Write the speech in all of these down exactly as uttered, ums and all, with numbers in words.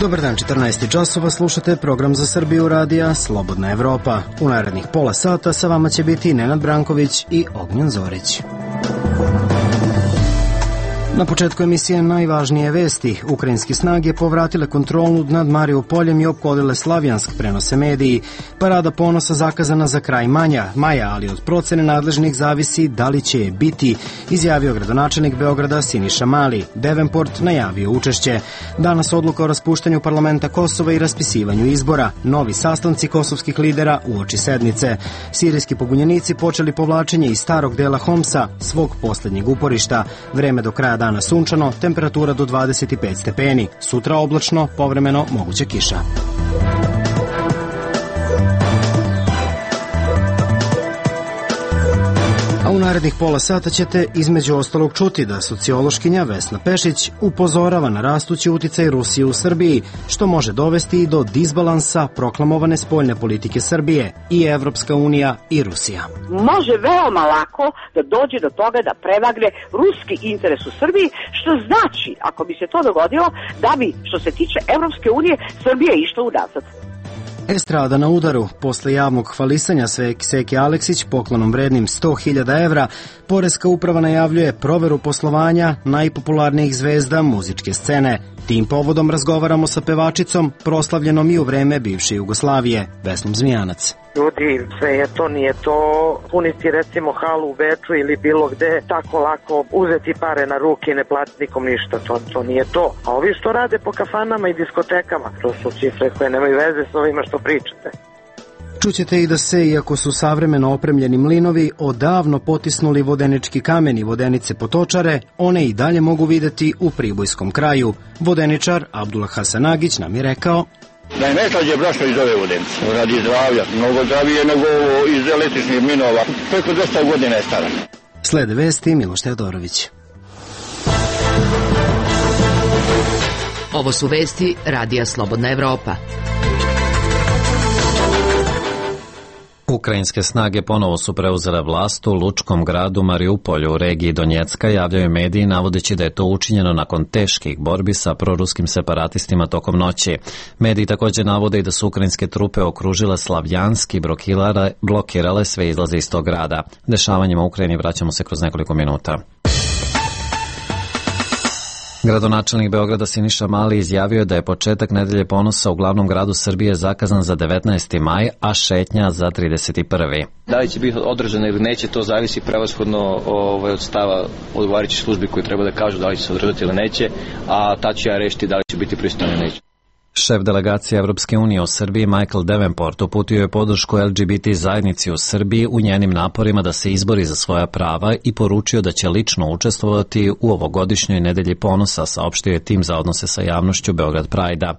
Dobar dan, četrnaest časova, slušate program za Srbiju radija Slobodna Evropa. U narednih pola sata sa vama će biti Nenad Branković i Ognjen Zorić. Na početku emisije najvažnije vesti. Ukrajinske snage povratile kontrolu nad Mariupoljem i opkolile Slavjansk, prenose mediji. Parada ponosa zakazana za kraj manja, maja, ali od procene nadležnih zavisi da li će je biti, izjavio gradonačelnik Beograda Siniša Mali. Devenport najavio učešće. Danas odluka o raspuštanju parlamenta Kosova i raspisivanju izbora. Novi sastanci kosovskih lidera uoči sednice. Sirijski pobunjenici počeli povlačenje iz starog dela Homsa, svog poslednjeg uporišta. Vreme do kraja dana sunčano, temperatura do dvadeset pet stepeni. Sutra oblačno, povremeno moguća kiša. A u narednih pola sata ćete između ostalog čuti da sociološkinja Vesna Pešić upozorava na rastući uticaj Rusije u Srbiji, što može dovesti i do disbalansa proklamovane spoljne politike Srbije, i Evropska unija i Rusija. Može veoma lako da dođe do toga da prevagne ruski interes u Srbiji, što znači, ako bi se to dogodilo, da bi, što se tiče Evropske unije, Srbija išla unazad. Estrada na udaru. Posle javnog hvalisanja Seke Aleksić poklonom vrednim sto hiljada evra, Poreska uprava najavljuje proveru poslovanja najpopularnijih zvezda muzičke scene. Tim povodom razgovaramo sa pevačicom, proslavljenom i u vreme bivše Jugoslavije, Vesnom Zmijanac. Ljudi, sve je to, nije to puniti recimo halu u Beču ili bilo gde, tako lako uzeti pare na ruke i ne platiti nikom ništa, to, to nije to. A ovi što rade po kafanama i diskotekama, to su cifre koje nemaju veze s ovima što pričate. Čućete i da se, iako su savremeno opremljeni mlinovi odavno potisnuli vodenički kamen i vodenice potočare, one i dalje mogu videti u pribojskom kraju. Vodeničar Abdullah Hasanagić nam je rekao: Da je najslađe brašno iz ove vodenice, radi zdravlja, mnogo zdravije nego iz električnih mlinova, preko dvesta godina je stara. Slede vesti Miloš Teodorović. Ovo su vesti Radija Slobodna Evropa. Ukrajinske snage ponovo su preuzele vlast u lučkom gradu Mariupolju u regiji Donjecka, javljaju mediji navodeći da je to učinjeno nakon teških borbi sa proruskim separatistima tokom noći. Mediji također navode i da su ukrajinske trupe okružile Slavjansk i blokirale sve izlaze iz tog grada. Dešavanjima u Ukrajini vraćamo se kroz nekoliko minuta. Gradonačelnik Beograda Siniša Mali izjavio da je početak nedelje ponosa u glavnom gradu Srbije zakazan za devetnaesti maj, a šetnja za trideset prvi Da li će biti održano ili neće, to zavisi prevashodno ovaj, od stava odgovarajućih službi koji treba da kažu da li će se održati ili neće, a ta ću ja rešiti da li će biti pristojno ili neće. Šef delegacije Evropske unije u Srbiji Michael Devenport uputio je podršku L G B T zajednici u Srbiji u njenim naporima da se izbori za svoja prava i poručio da će lično učestvovati u ovogodišnjoj nedelji ponosa, saopštio je tim za odnose sa javnošću Beograd Prajda.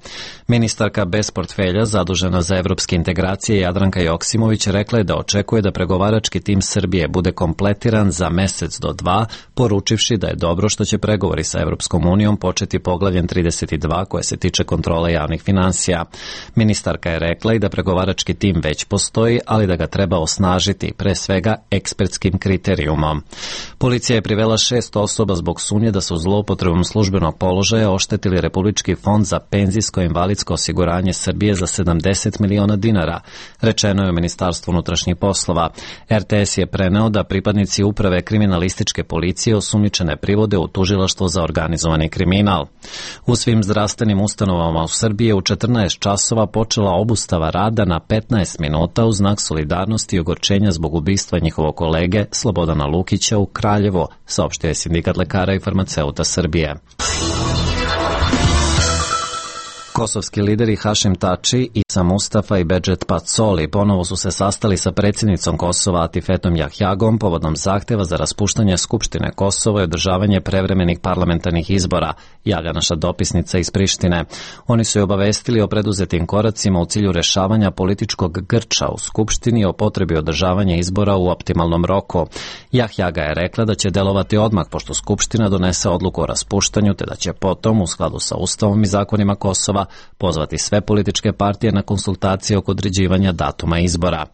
Ministarka bez portfelja zadužena za evropske integracije Jadranka Joksimović rekla je da očekuje da pregovarački tim Srbije bude kompletiran za mesec do dva, poručivši da je dobro što će pregovori sa Evropskom unijom početi poglavljem trideset dva koje se tiče kontrole javnih finansija. Ministarka je rekla i da pregovarački tim već postoji, ali da ga treba osnažiti, pre svega ekspertskim kriterijumom. Policija je privela šest osoba zbog sumnje da su zloupotrebom službenog položaja oštetili Republički fond za penzijsko i invalidsko osiguranje Srbije za sedamdeset miliona dinara, rečeno je u Ministarstvu unutrašnjih poslova. R T S je preneo da pripadnici uprave kriminalističke policije osumnjičene privode u tužilaštvo za organizovani kriminal. U svim zdravstvenim ustanovama u Srbiji je u četrnaest časova počela obustava rada na petnaest minuta u znak solidarnosti i ogorčenja zbog ubistva njihovog kolege Slobodana Lukića u Kraljevo, saopštio je Sindikat lekara i farmaceuta Srbije. Kosovski lideri Hašim Tači, Isa Mustafa i Bedžet Pacoli ponovo su se sastali sa predsjednicom Kosova Atifetom Jahjagom povodom zahteva za raspuštanje Skupštine Kosova i održavanje prevremenih parlamentarnih izbora, javlja naša dopisnica iz Prištine. Oni su je obavestili o preduzetim koracima u cilju rešavanja političkog grča u Skupštini i o potrebi održavanja izbora u optimalnom roku. Jahjaga je rekla da će delovati odmah pošto Skupština donese odluku o raspuštanju, te da će potom, u skladu sa Ustavom i zakonima Kosova, pozvati sve političke partije na konsultacije oko određivanja datuma izbora.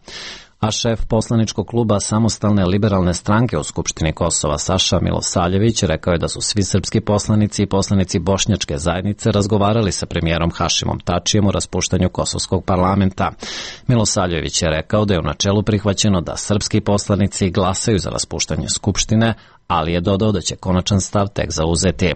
A šef poslaničkog kluba Samostalne liberalne stranke u Skupštini Kosova Saša Milosavljević rekao je da su svi srpski poslanici i poslanici bošnjačke zajednice razgovarali sa premijerom Hašimom Tačijem o raspuštanju kosovskog parlamenta. Milosavljević je rekao da je u načelu prihvaćeno da srpski poslanici glasaju za raspuštanje Skupštine, ali je dodao da će konačan stav tek zauzeti.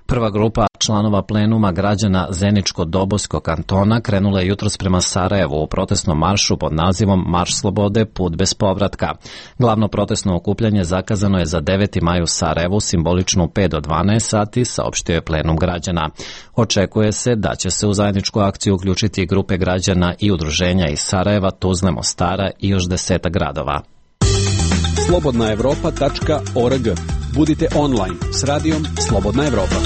Prva grupa članova plenuma građana Zeničko-Dobojskog kantona krenula je jutros prema Sarajevu u protestnom maršu pod nazivom Marš slobode, put bez povratka. Glavno protestno okupljanje zakazano je za deveti maj u Sarajevu, simbolično u pet do dvanaest sati, saopštio je plenum građana. Očekuje se da će se u zajedničku akciju uključiti grupe građana i udruženja iz Sarajeva, Tuzle, Mostara i još deseta gradova. slobodna evropa tačka org. Budite online s radijom Slobodna Evropa.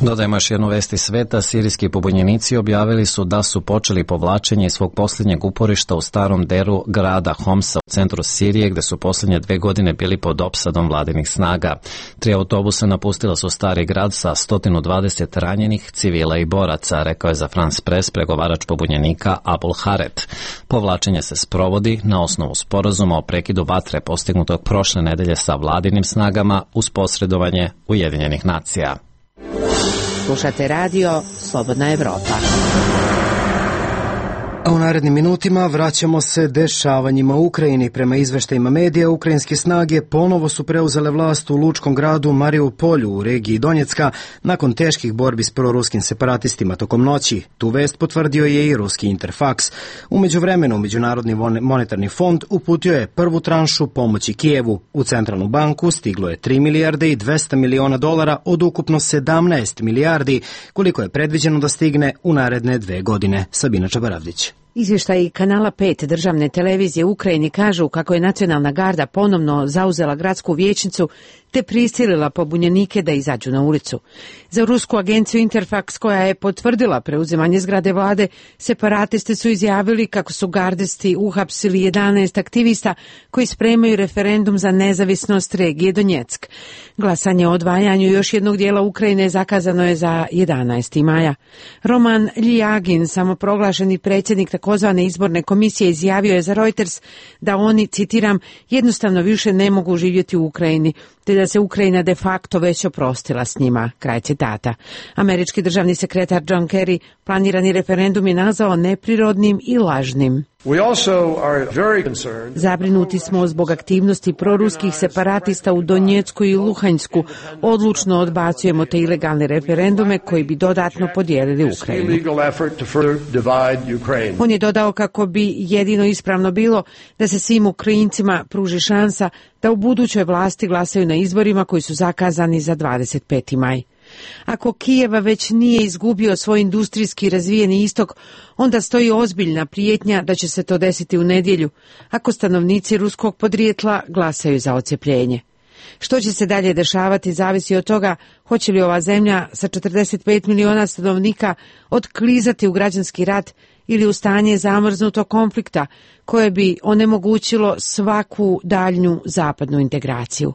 Dodajmo još jednu vest iz sveta. Sirijski pobunjenici objavili su da su počeli povlačenje iz svog posljednjeg uporišta u starom deru grada Homsa u centru Sirije, gde su posljednje dve godine bili pod opsadom vladinih snaga. Tri autobusa napustila su stari grad sa sto dvadeset ranjenih civila i boraca, rekao je za France Press pregovarač pobunjenika Abul Haret. Povlačenje se sprovodi na osnovu sporazuma o prekidu vatre postignutog prošle nedelje sa vladinim snagama uz posredovanje Ujedinjenih nacija. Slušate radio Slobodna Evropa. A u narednim minutima vraćamo se dešavanjima u Ukrajini. Prema izveštajima medija, ukrajinske snage ponovo su preuzele vlast u lučkom gradu Mariupolju u regiji Donjecka nakon teških borbi s proruskim separatistima tokom noći. Tu vest potvrdio je i ruski Interfax. U međuvremenu, Međunarodni monetarni fond uputio je prvu tranšu pomoći Kijevu. U centralnu banku stiglo je tri milijarde i dvesta miliona dolara od ukupno sedamnaest milijardi, koliko je predviđeno da stigne u naredne dve godine. Sabina Čabaravdić. Izvještaji kanala pet državne televizije u Ukrajini kažu kako je nacionalna garda ponovno zauzela gradsku vijećnicu te prisilila pobunjenike da izađu na ulicu. Za rusku agenciju Interfax, koja je potvrdila preuzimanje zgrade vlade, separatisti su izjavili kako su gardisti uhapsili jedanaest aktivista koji spremaju referendum za nezavisnost regije Donjeck. Glasanje o odvajanju još jednog dijela Ukrajine zakazano je za jedanaesti maja. Roman Ljagin, samoproglašeni predsjednik takozvane izborne komisije, izjavio je za Reuters da oni, citiram, jednostavno više ne mogu živjeti u Ukrajini, te da se Ukrajina de facto već oprostila s njima, kraj citata. Američki državni sekretar John Kerry planirani referendum je nazvao neprirodnim i lažnim. Zabrinuti smo zbog aktivnosti proruskih separatista u Donjecku i Luhanjsku. Odlučno odbacujemo te ilegalne referendume koji bi dodatno podijelili Ukrajinu. On je dodao kako bi jedino ispravno bilo da se svim Ukrajincima pruži šansa da u budućoj vlasti glasaju na izborima koji su zakazani za dvadeset peti maj. Ako Kijeva već nije izgubio svoj industrijski razvijeni istok, onda stoji ozbiljna prijetnja da će se to desiti u nedjelju, ako stanovnici ruskog podrijetla glasaju za odcjepljenje. Što će se dalje dešavati zavisi od toga hoće li ova zemlja sa četrdeset pet miliona stanovnika otklizati u građanski rat ili u stanje zamrznutog konflikta koje bi onemogućilo svaku daljnju zapadnu integraciju.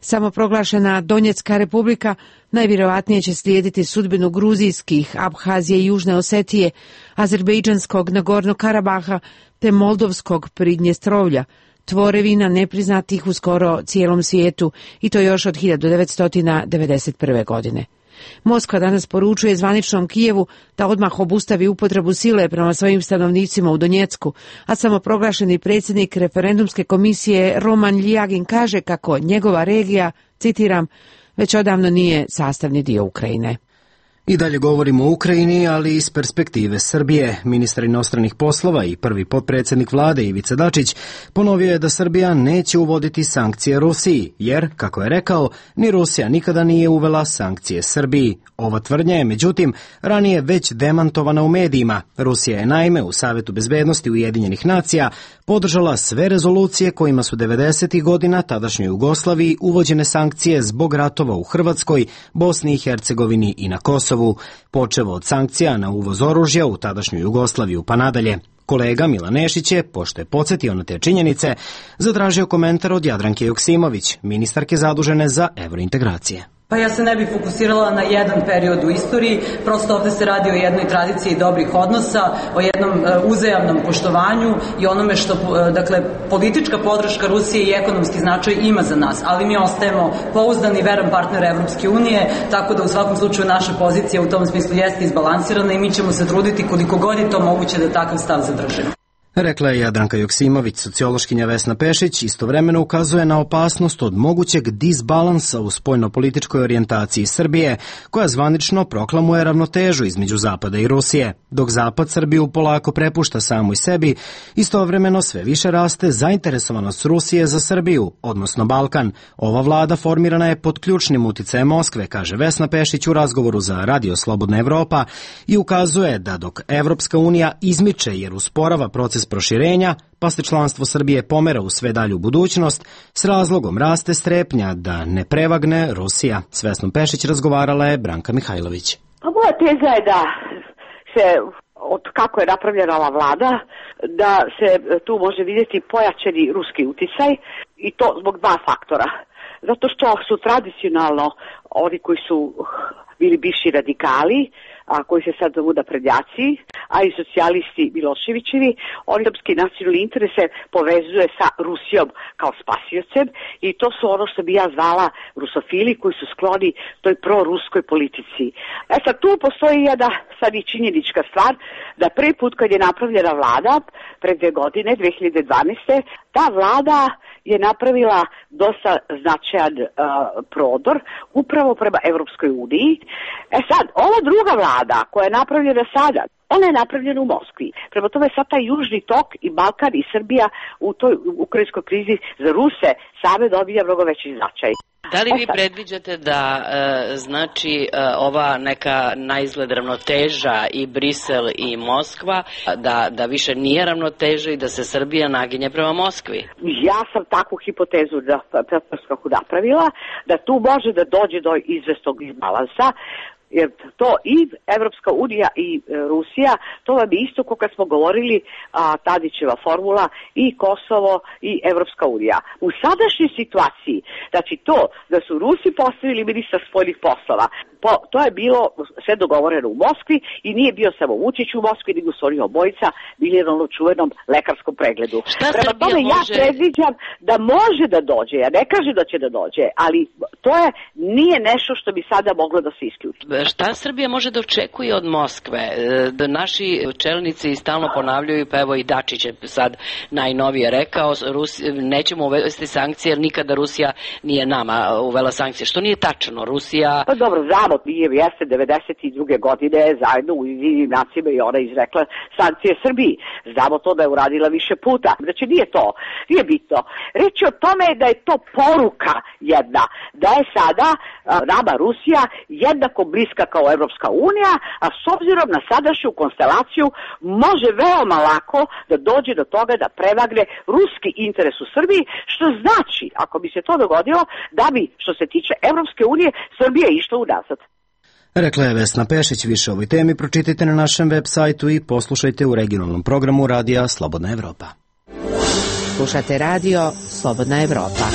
Samoproglašena Donjecka republika najvjerojatnije će slijediti sudbinu gruzijskih, Abhazije i Južne Osetije, azerbejdžanskog Nagorno Karabaha te moldovskog Pridnjestrovlja, tvorevina nepriznatih u skoro cijelom svijetu, i to još od hiljadu devetsto devedeset prve. godine. Moskva danas poručuje zvaničnom Kijevu da odmah obustavi upotrebu sile prema svojim stanovnicima u Donjecku, a samoproglašeni predsjednik referendumske komisije Roman Ljagin kaže kako njegova regija, citiram, već odavno nije sastavni dio Ukrajine. I dalje govorimo o Ukrajini, ali iz perspektive Srbije. Ministar inostranih poslova i prvi potpredsjednik vlade Ivica Dačić ponovio je da Srbija neće uvoditi sankcije Rusiji, jer, kako je rekao, ni Rusija nikada nije uvela sankcije Srbiji. Ova tvrdnja je, međutim, ranije već demantovana u medijima. Rusija je naime u Savetu bezbednosti Ujedinjenih nacija podržala sve rezolucije kojima su devedesetih godina tadašnjoj Jugoslaviji uvođene sankcije zbog ratova u Hrvatskoj, Bosni i Hercegovini i na Kosovu, počevo od sankcija na uvoz oružja u tadašnju Jugoslaviju pa nadalje. Kolega Milan Nešić je, pošto je podsjetio na te činjenice, zatražio komentar od Jadranke Joksimović, ministarke zadužene za evrointegracije. Pa ja se ne bih fokusirala na jedan period u istoriji, prosto ovde se radi o jednoj tradiciji dobrih odnosa, o jednom uzajamnom poštovanju i onome što, dakle, politička podrška Rusije i ekonomski značaj ima za nas, ali mi ostajemo pouzdani i veran partner Evropske unije, tako da u svakom slučaju naša pozicija u tom smislu jeste izbalansirana i mi ćemo se truditi koliko god je to moguće da takav stav zadržimo. Rekla je Jadranka Joksimović. Sociološkinja Vesna Pešić istovremeno ukazuje na opasnost od mogućeg disbalansa u spoljnopolitičkoj orijentaciji Srbije, koja zvanično proklamuje ravnotežu između Zapada i Rusije. Dok Zapad Srbiju polako prepušta samoj sebi, istovremeno sve više raste zainteresovanost Rusije za Srbiju, odnosno Balkan. Ova vlada formirana je pod ključnim uticajem Moskve, kaže Vesna Pešić u razgovoru za Radio Slobodna Evropa i ukazuje da dok Evropska unija izmiče jer usporava proces proširenja, pa se članstvo Srbije pomera u sve dalju budućnost, s razlogom raste strepnja da ne prevagne Rusija. S Vesnom Pešić razgovarala je Branka Mihajlović. Pa moja teza je da se, od kako je napravljena ova vlada, da se tu može vidjeti pojačani ruski uticaj i to zbog dva faktora. Zato što su tradicionalno oni koji su bili bivši radikali, a koji se sad zovu naprednjaci, a i socijalisti Miloševićevi, oni srpski nacionalni interese povezuje sa Rusijom kao spasiocem i to su ono što bi ja zvala rusofili koji su skloni toj proruskoj politici. E sad tu postoji jedna sad i činjenička stvar da prvi put kad je napravljena vlada, pre dve godine, dve hiljade dvanaeste. ta vlada je napravila dosta značajan uh, prodor upravo prema Evropskoj uniji. E sad, ova druga vlada koja je napravljena sada, ona je napravljena u Moskvi. Prema tome sad taj južni tok i Balkan i Srbija u toj ukrajinskoj krizi za Ruse same dobija mnogo veći značaj. Da li vi predviđate da e, znači e, ova neka naizgled ravnoteža i Brisel i Moskva, da, da više nije ravnoteža i da se Srbija naginje prema Moskvi? Ja sam takvu hipotezu da, kako napravila, da tu može da dođe do izvestog balansa, jer to i Evropska unija i e, Rusija, to vam je isto kao kad smo govorili a, Tadićeva formula i Kosovo i Evropska unija. U sadašnjoj situaciji, znači to da su Rusi postavili ministra spoljnih poslova, po, to je bilo sve dogovoreno u Moskvi i nije bio samo Vučić u Moskvi, nego su oni obojica bili na onom čuvenom lekarskom pregledu. Šta Prema tome može... ja predviđam da može da dođe, ja ne kažem da će da dođe, ali to je nije nešto što bi sada moglo da se isključi. Šta Srbija može da očekuje od Moskve? Da naši čelnici stalno ponavljaju, pa evo i Dačić je sad najnovije rekao, Rusi, nećemo uvesti sankcije jer nikada Rusija nije nama uvela sankcije. Što nije tačno? Rusija... Pa dobro, znamo, nije jeste devedeset druge godine zajedno u Ujedinjenim nacijama i ona izrekla sankcije Srbiji. Znamo to da je uradila više puta. Znači nije to, nije bitno. Reč je o tome da je to poruka jedna, da je sada nama Rusija jednako bliska kao Evropska unija, a s obzirom na sadašnju konstelaciju može veoma lako da dođe do toga da prevagne ruski interes u Srbiji, što znači, ako bi se to dogodilo, da bi, što se tiče Evropske unije, Srbija išla unazad. Rekla je Vesna Pešić. Više o ovoj temi pročitajte na našem web sajtu i poslušajte u regionalnom programu Radija Slobodna Evropa. Slušate radio Slobodna Evropa.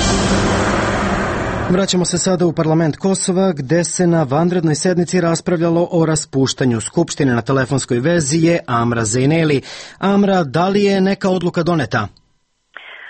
Vraćamo se sada u parlament Kosova, gde se na vanrednoj sednici raspravljalo o raspuštanju Skupštine. Na telefonskoj vezi je Amra Zejneli. Amra, da li je neka odluka doneta?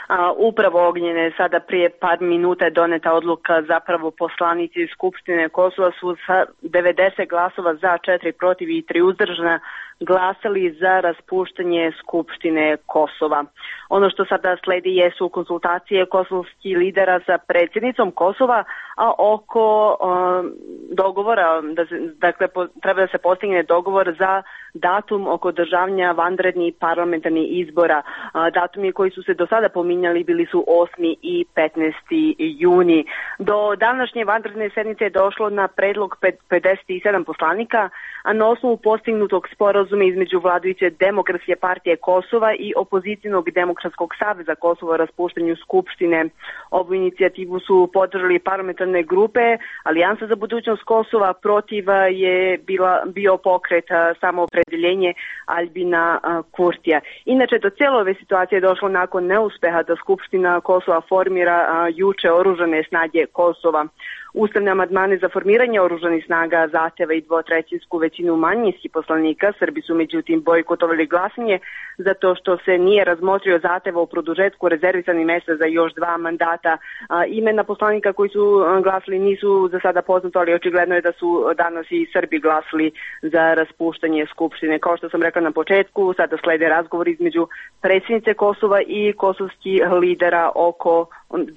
A, upravo Ognjene, sada prije par minuta je doneta odluka, zapravo poslanici Skupštine Kosova su sa devedeset glasova za, četiri protiv i tri uzdržana glasali za raspuštanje Skupštine Kosova. Ono što sada sledi jesu konsultacije kosovskih lidera sa predsjednicom Kosova, a oko um, dogovora, da se, dakle po, treba da se postigne dogovor za datum oko održavanja vanrednih parlamentarnih izbora. A, datumi koji su se do sada pominjali bili su osmi i petnaesti juni. Do današnje vanredne sednice je došlo na predlog pedeset sedam poslanika, a na osnovu postignutog sporazuma između vladajuće Demokratske partije Kosova i opozicijnog Demokratskog saveza Kosova o raspuštanju Skupštine. Ovu inicijativu su podržali parlamentarne grupe. Alijansa za budućnost Kosova, protiv je bila, bio pokret Samoopredeljenje Albina Kurtija. Inače, do cijele ove situacije je došlo nakon neuspeha da Skupština Kosova formira juče oružane snage Kosova. Ustavne amandmane za formiranje oružanih snaga, zahteva i dvotrećinsku većinu manjinskih poslanika, Srbi su međutim bojkotovali glasanje zato što se nije razmotrio zahteva o produžetku rezervisanih mesta za još dva mandata. A, imena poslanika koji su glasali nisu za sada poznato, ali očigledno je da su danas i Srbi glasali za raspuštanje Skupštine. Kao što sam rekla na početku, sada slede razgovor između predsjednice Kosova i kosovskih lidera oko,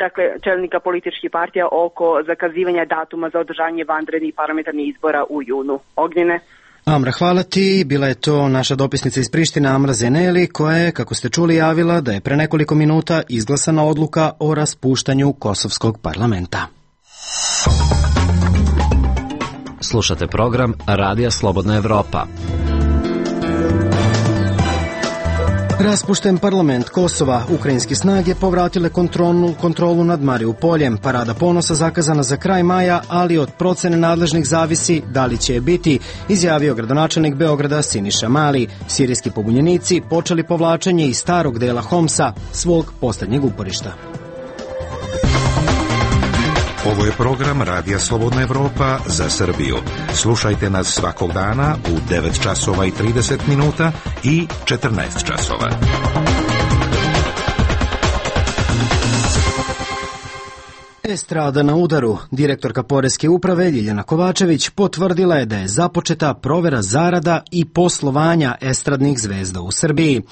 dakle, čelnika političkih partija oko zakazivanja datuma za održanje vanrednih parlamentarnih izbora u junu. Ognjene? Amra, hvala ti. Bila je to naša dopisnica iz Prištine Amra Zeneli, koja je, kako ste čuli, javila da je pre nekoliko minuta izglasana odluka o raspuštanju Kosovskog parlamenta. Slušate program Radija Slobodna Evropa. Raspušten parlament Kosova, ukrajinske snage povratile kontrolu, kontrolu nad Mariupoljem. Parada ponosa zakazana za kraj maja, ali od procene nadležnih zavisi da li će je biti, izjavio gradonačelnik Beograda Siniša Mali. Sirijski pobunjenici počeli povlačenje iz starog dela Homsa, svog poslednjeg uporišta. Ovo je program Radija Slobodna Evropa za Srbiju. Slušajte nas svakog dana u devet časova i trideset minuta i četrnaest časova. Estrada na udaru. Direktorka Poreske uprave Ljiljana Kovačević potvrdila je da je započeta provera zarada i poslovanja estradnih zvezda u Srbiji.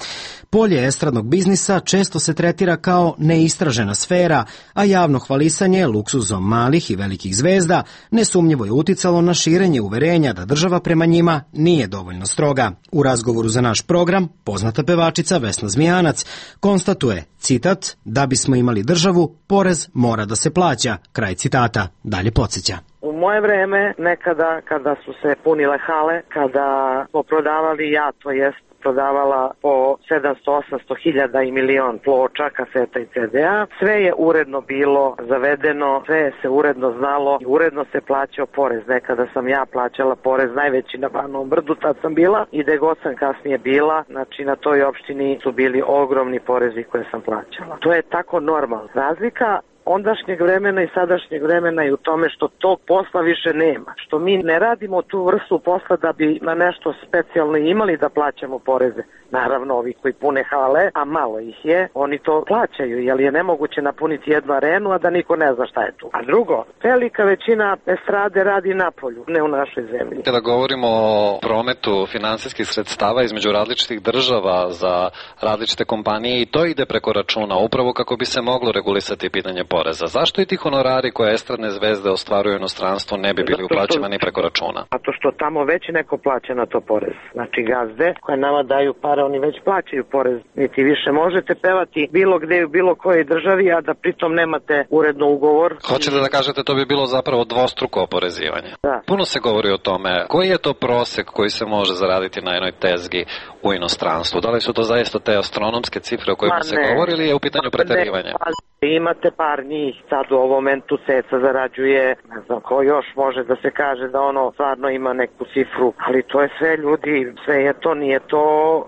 Polje estradnog biznisa često se tretira kao neistražena sfera, a javno hvalisanje luksuzom malih i velikih zvezda nesumnjivo je uticalo na širenje uverenja da država prema njima nije dovoljno stroga. U razgovoru za naš program, poznata pevačica Vesna Zmijanac konstatuje, citat, da bismo imali državu, porez mora da se plaća, kraj citata, dalje podsjeća. U moje vreme, nekada kada su se punile hale, kada smo prodavali, ja to jest prodavala po sedamsto osamsto hiljada i milion ploča, kaseta i ce de a. Sve je uredno bilo zavedeno, sve se uredno znalo i uredno se plaćao porez. Nekada sam ja plaćala porez najveći na Banovom Brdu, tad sam bila i gde god sam kasnije bila, znači na toj opštini su bili ogromni porezi koje sam plaćala. To je tako normalno. Razlika ondašnjeg vremena i sadašnjeg vremena i u tome što tog posla više nema. Što mi ne radimo tu vrstu posla da bi na nešto specijalno imali da plaćamo poreze. Naravno, ovi koji pune hale, a malo ih je, oni to plaćaju, jer je nemoguće napuniti jednu arenu, a da niko ne zna šta je tu. A drugo, velika većina estrade radi napolju, ne u našoj zemlji. Kada govorimo o prometu finansijskih sredstava između različitih država za različite kompanije, i to ide preko računa, upravo kako bi se moglo regulisati pitanje poreza. Zašto i ti honorari koje estradne zvezde ostvaruju inostranstvo ne bi bili uplaćivani preko računa? Zato što tamo već neko plaća na to porez. Znači gazde koje nama daju pare, oni već plaćaju porez. Niti više možete pevati bilo gde u bilo kojoj državi, a da pritom nemate uredno ugovor. Hoćete da kažete to bi bilo zapravo dvostruko oporezivanje? Da. Puno se govori o tome. Koji je to prosek koji se može zaraditi na jednoj tezgi u inostranstvu? Da li su to zaista te astronomske cifre o kojima se govori ili je u pitanju preterivanja? Imate par njih, sad u ovom momentu Ceca zarađuje, ne znam ko još može da se kaže da ono stvarno ima neku cifru, ali to je sve ljudi, sve je to, nije to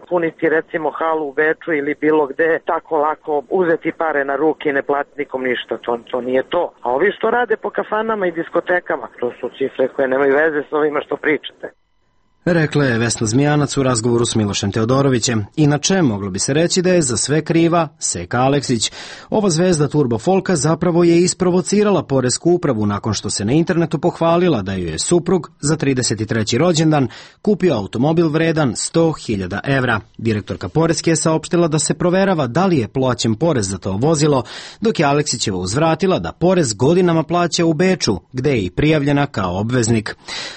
puniti recimo halu u Beču ili bilo gde, tako lako uzeti pare na ruke i ne platiti nikom ništa, to, to nije to. A ovi što rade po kafanama i diskotekama, to su cifre koje nemaju veze s ovima što pričate. Rekla je Vesna Zmijanac u razgovoru s Milošem Teodorovićem. Inače, moglo bi se reći da je za sve kriva Seka Aleksić. Ova zvezda turbo folka zapravo je isprovocirala Poresku upravu nakon što se na internetu pohvalila da ju je suprug za trideset treći rođendan kupio automobil vredan sto hiljada evra. Direktorka Poreske je saopštila da se proverava da li je plaćen porez za to vozilo, dok je Aleksićeva uzvratila da porez godinama plaća u Beču, gde je i prijavljena kao obveznik.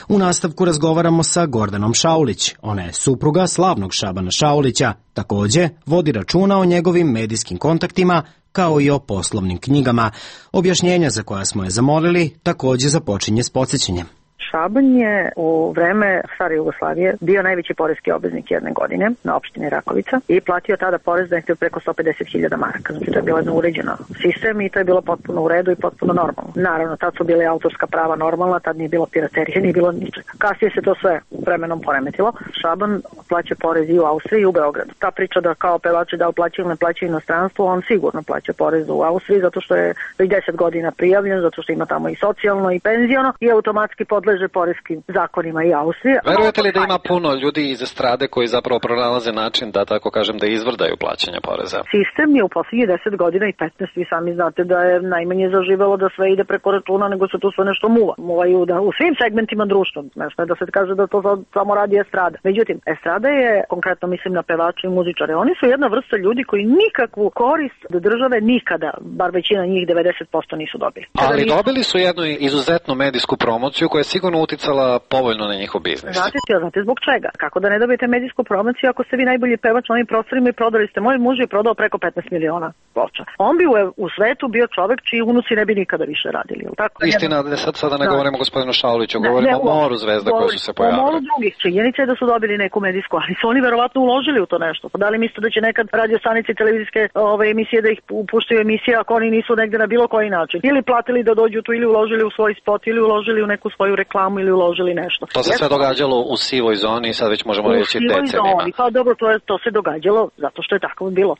U nastavku razgovaramo sa Gordanom Šaulić. Ona je supruga slavnog Šabana Šaulića. Takođe, vodi računa o njegovim medijskim kontaktima, kao i o poslovnim knjigama. Objašnjenja za koja smo je zamolili takođe započinje s podsjećanjem. Šabanj je u vreme stare Jugoslavije bio najveći poreski obveznik jedne godine na opštini Rakovica i platio tada porez da je preko sto pedeset hiljada maraka. Znači to je bilo jedno uređeno sistem i to je bilo potpuno u redu i potpuno normalno. Naravno, tad su bile autorska prava normalna, tad nije bilo piraterije, nije bilo ničega. Kasnije se to sve vremenom poremetilo. Šaban plaća porez i u Austriji i u Beogradu. Ta priča da kao pevači da plaćaju ne plaćaju inostranstvo, on sigurno plaća porez u Austriji zato što je već deset godina prijavljen, zato što ima tamo i socijalno i penziono i automatski podleže poreskim zakonima i Austrije. Verujete li da ima puno ljudi iz estrade koji zapravo pronalaze način da, tako kažem, da izvrdaju plaćanje poreza? Sistem je u posljednjih deset godina i petnaest, vi sami znate da je najmanje zaživelo da sve ide preko računa, nego se tu sve nešto muva. Muvaju da, u svim segmentima društva, nešto je da se kaže da to samo radi estrada. Međutim, estrada je, konkretno mislim na pevače i muzičare, oni su jedna vrsta ljudi koji nikakvu korist do države nikada, bar većina njih devedeset posto nisu dobili. Ali nisu... dobili su jednu izuzetnu medijsku promociju koja je sigurno uticala povoljno na njihov biznis. Znate, znate zbog čega? Kako da ne dobijete medijsku promociju ako ste vi najbolji pevač na ovim prostorima i prodali ste? Moj muž je prodao preko petnaest miliona ploča. On bi u, u svetu bio čovek čiji unuci ne bi nikada više radili. Tako? Istina, da sad sada ne da. govorimo o gospodinu Šauliću, govorimo ne, ne, o moru zvezda koje su se pojavile. O moru drugih. Činjenica je da su dobili neku medijsku, ali su oni verovatno uložili u to nešto. Pa da li mislite da će nekad radio stanice i televizijske ove emisije da ih puštaju emisije ako oni nisu negde na bilo koji način? Ili platili da dođu tu, ili uložili u svoj spot, ili uložili u neku svoju reklamu, ili uložili nešto. To se sve događalo u sivoj zoni i sad već možemo reći decenijima. Pa dobro, to, je, to se događalo zato što je tako bilo.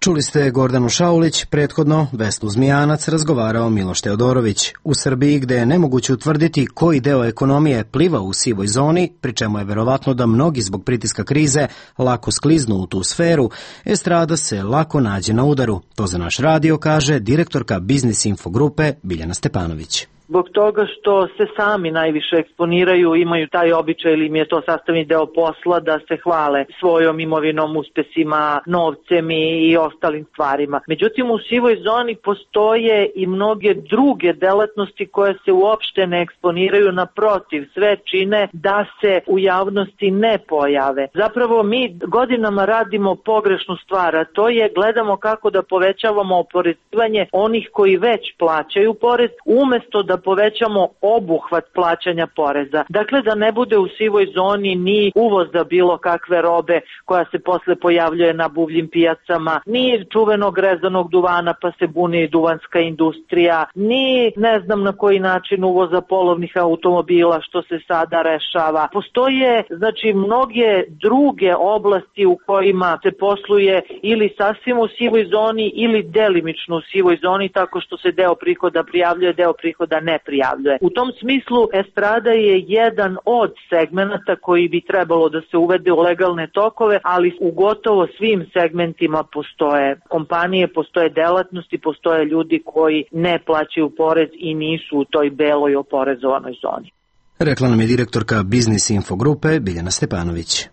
Čuli ste Gordanu Šaulić, prethodno Vesnu Zmijanac razgovarao Miloš Teodorović. U Srbiji, gde je nemoguće utvrditi koji deo ekonomije pliva u sivoj zoni, pri čemu je verovatno da mnogi zbog pritiska krize lako skliznu u tu sferu, estrada se lako nađe na udaru. To za naš radio kaže direktorka Biznis Info grupe Biljana Stepanović. Zbog toga što se sami najviše eksponiraju, imaju taj običaj ili im je to sastavni deo posla da se hvale svojom imovinom, uspesima, novcem i ostalim stvarima. Međutim, u sivoj zoni postoje i mnoge druge delatnosti koje se uopšte ne eksponiraju, naprotiv, sve čine da se u javnosti ne pojave. Zapravo mi godinama radimo pogrešnu stvar, a to je gledamo kako da povećavamo oporezivanje onih koji već plaćaju porez, umesto da povećamo obuhvat plaćanja poreza. Dakle, da ne bude u sivoj zoni ni uvoza bilo kakve robe koja se posle pojavljuje na buvljim pijacama, ni čuvenog rezanog duvana pa se buni duvanska industrija, ni ne znam na koji način uvoza polovnih automobila što se sada rešava. Postoje, znači, mnoge druge oblasti u kojima se posluje ili sasvim u sivoj zoni ili delimično u sivoj zoni, tako što se deo prihoda prijavljuje, deo prihoda ne prijavljuje. U tom smislu estrada je jedan od segmenata koji bi trebalo da se uvede u legalne tokove, ali u gotovo svim segmentima postoje kompanije, postoje delatnosti, postoje ljudi koji ne plaćaju porez i nisu u toj beloj oporezovanoj zoni. Rekla nam je direktorka Biznis Info grupe Biljana Stepanović.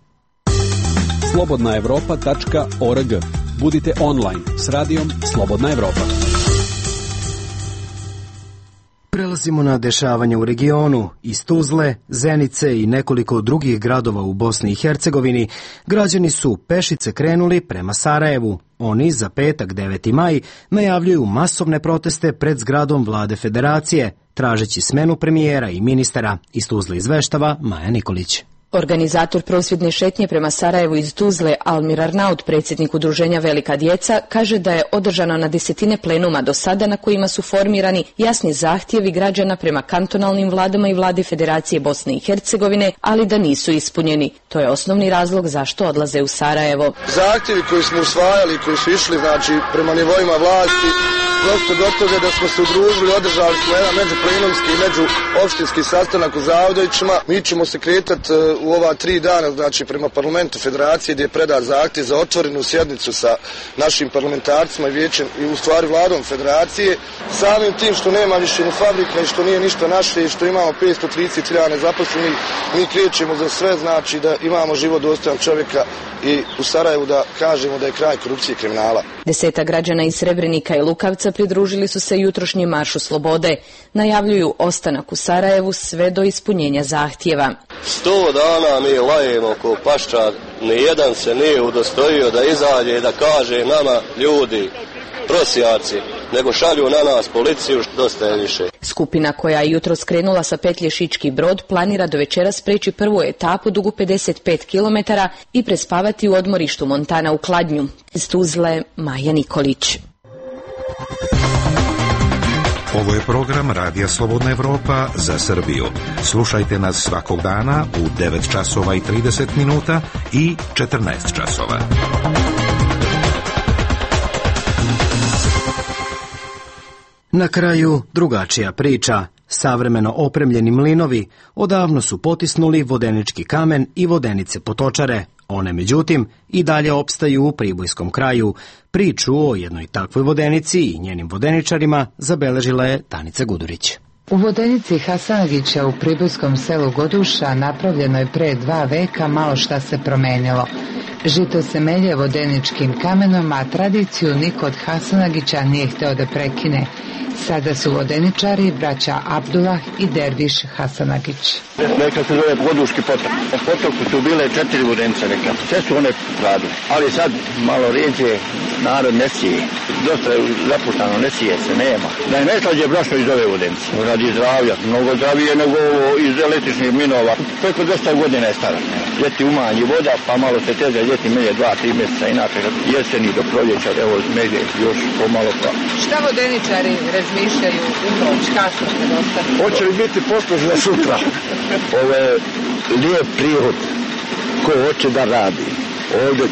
slobodna evropa tačka org. Budite online s radijom Slobodna Evropa. Prelazimo na dešavanje u regionu. Iz Tuzle, Zenice i nekoliko drugih gradova u Bosni i Hercegovini građani su pešice krenuli prema Sarajevu. Oni za petak deveti maj najavljuju masovne proteste pred zgradom Vlade Federacije, tražeći smenu premijera i ministara. Iz Tuzle izveštava Maja Nikolić. Organizator prosvjedne šetnje prema Sarajevu iz Tuzle, Almir Arnaut, predsjednik udruženja Velika djeca, kaže da je održano na desetine plenuma do sada na kojima su formirani jasni zahtjevi građana prema kantonalnim vladama i vladi Federacije Bosne i Hercegovine, ali da nisu ispunjeni. To je osnovni razlog zašto odlaze u Sarajevo. Zahtjevi koji smo usvajali, koji su išli znači prema nivoima vlasti, prosto do toga da smo se udružili, održali smo jedan međuplenomski i međuopštinski sastanak u Zavdovićima. Mi ćemo se kretati u ova tri dana, znači prema parlamentu Federacije, gdje je predat zahtjev za otvorenu sjednicu sa našim parlamentarcima i vijećem i u stvari vladom Federacije. Samim tim što nema više ni fabrika i što nije ništa naše i što imamo petsto trideset hiljada nezaposlenih, mi krećemo za sve, znači da imamo život dostojan čovjeka i u Sarajevu da kažemo da je kraj korupcije i kriminala. Deseta građana iz Srebrenika i Lukavca pridružili su se jutrošnjem maršu slobode. Najavljuju ostanak u Sarajevu sve do ispunjenja zahtjeva. Sto dana mi lajemo ko paščar, nijedan se nije udostojio da izađe i da kaže nama, ljudi, prosjaci, nego šalju na nas policiju, dosta je više. Skupina koja je jutro skrenula sa petlje Šički Brod planira do večeras preći prvu etapu dugu pedeset pet kilometara i prespavati u odmorištu Montana u Kladnju. Iz Tuzle, Maja Nikolić. Ovo je program Radija Slobodna Evropa za Srbiju. Slušajte nas svakog dana u devet časova i trideset minuta i četrnaest časova. Na kraju drugačija priča. Savremeno opremljeni mlinovi odavno su potisnuli vodenički kamen i vodenice potočare. One, međutim, i dalje opstaju u pribojskom kraju. Priču o jednoj takvoj vodenici i njenim vodeničarima zabeležila je Danica Gudurić. U vodenici Hasanagića u pribojskom selu Goduša napravljeno je pre dva veka, malo šta se promenilo. Žito se melje vodeničkim kamenom, a tradiciju niko od Hasanagića nije hteo da prekine. Sada su vodeničari braća Abdullah i Derviš Hasanagić. Neka se zove Goduški potok. U potoku su bile četiri vodenice, neka. Sve su one radile. Ali sad malo rijeđe, narod ne sije. Dosta je zapuštano, ne sije se, nema. Da je najslađe brašno iz ove vodenice. Radi zdravlja. Mnogo zdravije nego ovo iz električnih minova. Preko dvesta godina je stara. Ljeti umanji voda, pa malo se teže, ljeti melje dva, tri mjeseca. Inače jeseni do proljeća, evo melje još pomalo pa. Šta vodeničari razmišljaju u noć, kasno se dostane? Hoće li biti poslužna sutra? Ovo je lijep prihod ko hoće da radi. Ovdje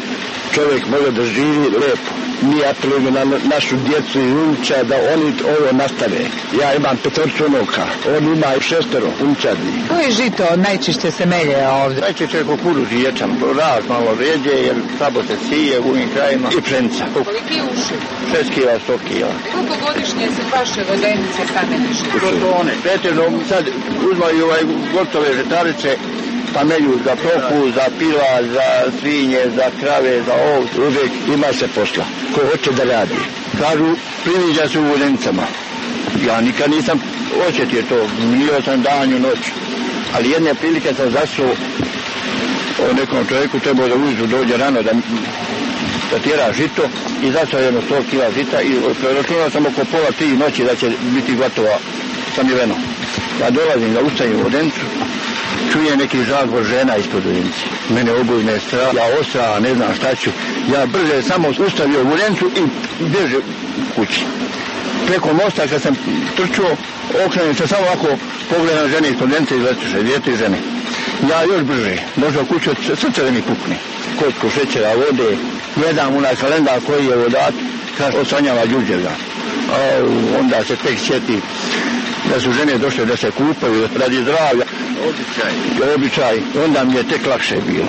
čovjek može da živi lepo. Mi apelujemo na našu djecu i unuča da oni ovo nastave. Ja imam petorcu unuka, on ima šestero unučadi. Koje žito najčešće se melje ovdje? Najčešće je kukuruz i ječam, raz malo ređe jer slabo se sije u ovim krajima i pšenica. Koliki uši? šest kila, sto kila. Koliko godišnje se vaše vodenice kameniše? Protone. Pretežno sad uzmaju ovaj gotove žetarice, pa melju za toku, za pila, za svinje, za krave, za ovce. Uvijek ima se posla. Ko hoće da radi. Kažu, priviđa se u vodenicama. Ja nikad nisam osjetio to. Nio sam danju, noću. Ali jedne prilike sam zasuo o nekom čovjeku, trebao da ujutru dođe rano da, da tjera žito i zasuo jedno sto kila žita i računao sam oko pola tri noći da će biti gotova samiveno. Ja dolazim da ustajem u vodenicu, čujem neki žagor žena ispod vodenice. Mene obojne strah, ja ostra, ne znam šta ću. Ja brže samo ustavio vodenicu i bježe kući. Preko mosta kad sam trčuo, okrenem se samo ovako, pogledam žene ispod vodenice i letuše, dvije, tri žene. Ja još brže, možda u kuću srce da mi pukne. Kocku šećera, vode, gledam onaj kalendar koji je vodat, kaže osanjava Đurđevdan. Onda se tek sjeti da su žene došle da se kupaju radi zdravlja. Običaj. Običaj. Onda mi je tek lakše bilo.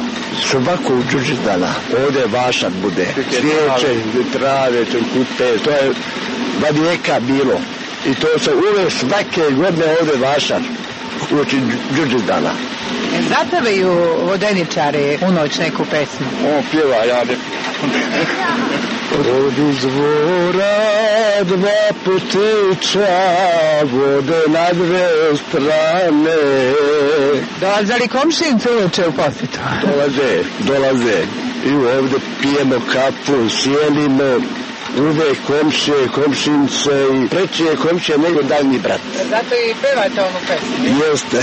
Svako u Đurđevdana ovdje vašak bude. Svijeće, trave, kupe, to je vijeka bilo. I to se uvijek svake godine ovdje vašak uoči Đurđevdana. Zapevaju vodeničari u noć neku pesmu? On pjeva, ja ne... Od izvora dva putića vode na dve strane. Dolaze li komšinice uveče u posjetu? Dolaze, dolaze. I ovdje pijemo kafu, sjelimo. Uvek komšije, komšinice i preći je komšije nego daljni brat. Zato i pevate onu pesmu? Jeste.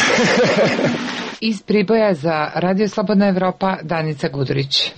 Iz Priboja za Radio Slobodna Evropa, Danica Gudurić.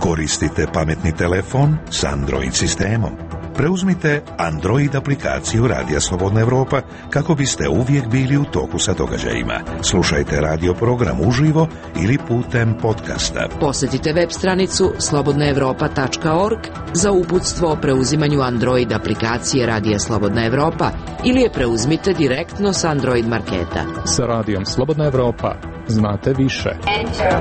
Koristite pametni telefon s Android sistemom. Preuzmite Android aplikaciju Radija Slobodna Evropa kako biste uvijek bili u toku sa događajima. Slušajte radio program uživo ili putem podcasta. Posjetite web stranicu slobodna evropa tačka org za uputstvo o preuzimanju Android aplikacije Radija Slobodna Evropa ili je preuzmite direktno s Android marketa. Sa Radijom Slobodna Evropa znate više. Enter.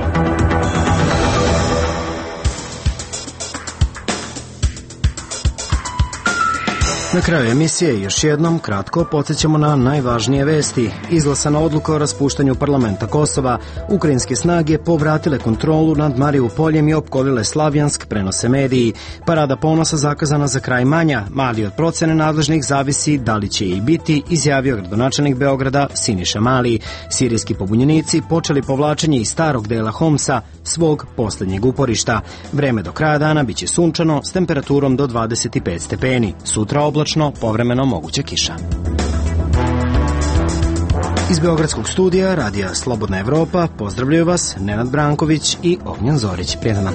Na kraju emisije još jednom kratko podsjećamo na najvažnije vesti. Izglasana odluka o raspuštanju parlamenta Kosova, ukrajinske snage povratile kontrolu nad Mariupoljem i opkolile Slavjansk, prenose mediji. Parada ponosa zakazana za kraj manja, mali od procene nadležnih zavisi da li će i biti, izjavio gradonačelnik Beograda Siniša Mali. Sirijski pobunjenici počeli povlačenje iz starog dela Homsa, svog posljednjeg uporišta. Vreme do kraja dana biće sunčano s temperaturom do dvadeset pet stepeni. Sutra oblačno, povremeno moguća kiša. Iz Beogradskog studija Radija Slobodna Evropa pozdravljaju vas Nenad Branković i Ognjen Zorić. Prijetan dan.